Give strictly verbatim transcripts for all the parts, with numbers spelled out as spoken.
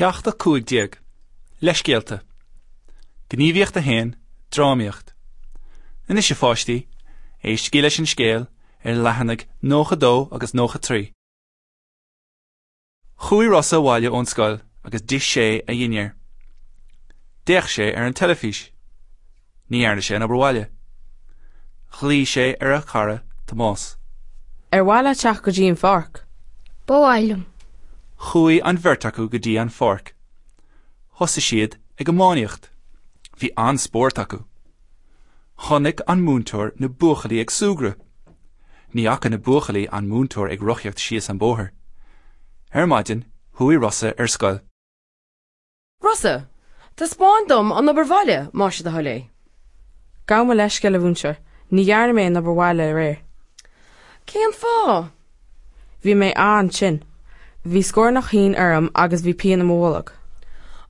Ceacht a cúig déag. Leithscéalta. Gníomhaíocht a haon, Drámaíocht. Anois a pháistí, éistigí leis an scéal ar leathanaigh nócha dó agus nócha trí. Chuaigh Rossa abhaile ón scoil agus d'ith sé a dhinnéar. D'fhéach sé ar an teilifís. Ní dhearna sé an obair bhaile. Ghlaoigh sé ar a chara Tomás. Ar mhaith leat teacht go dtí an pháirc? Ba mhaith liom. Chuaigh an bheirt acu go dtí an pháirc. Thosaigh siad ag iománaíocht. Bhí an-spórt acu. Chonaic an múinteoir na buachaillí ag súgradh. Ní fhaca na buachaillí an múinteoir ag rothaíocht síos an bóthar. Ar maidin, chuaigh Rossa ar scoil. Rossa, taispeáin dom an obair bhaile, más é do thoil é. Gabh mo leithscéal a mhúinteoir, ní dhearna mé an obair bhaile aréir. Cén fáth? Bhí mé an-tinn. Bhí scornach thinn orm agus bhí pian i mo bholg.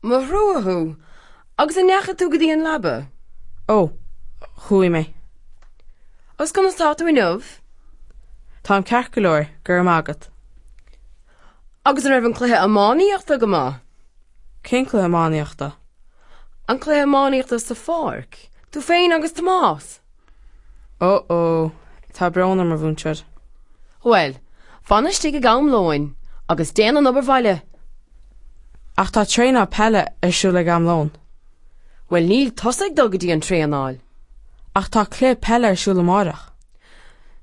Mo thrua thú! Agus an ndeachaigh tú go dtí an leaba? Ó, chuaigh mé. Agus conas tá tú inniu? Táim ceart go leor, go raibh maith agat. Agus an raibh an cluiche iománaíochta go maith? Cén cluiche iománaíochta? An cluiche iománaíochta sa pháirc? Tú féin agus Tomás? Ó ó, tá brón orm a mhúinteoir. Bhuel, fan istigh ag am lóin agus déan an obair bhaile. Ach tá traenáil peile ar siúl ag am lóin. Bhuel níl tusa ag dul go dtí an traenáil. Ach tá cluiche peile ar siúl amárach.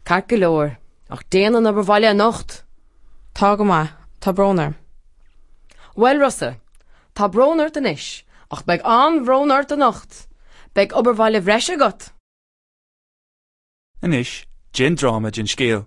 Ceart go leor, ach déan an obair bhaile anocht. Tá go maith, tá brón orm. Bhuel Rossa, tá brón ort anois, ach beidh an-bhrón ort anocht. Beidh obair bhaile bhreise agat. Anois, déan dráma den scéal.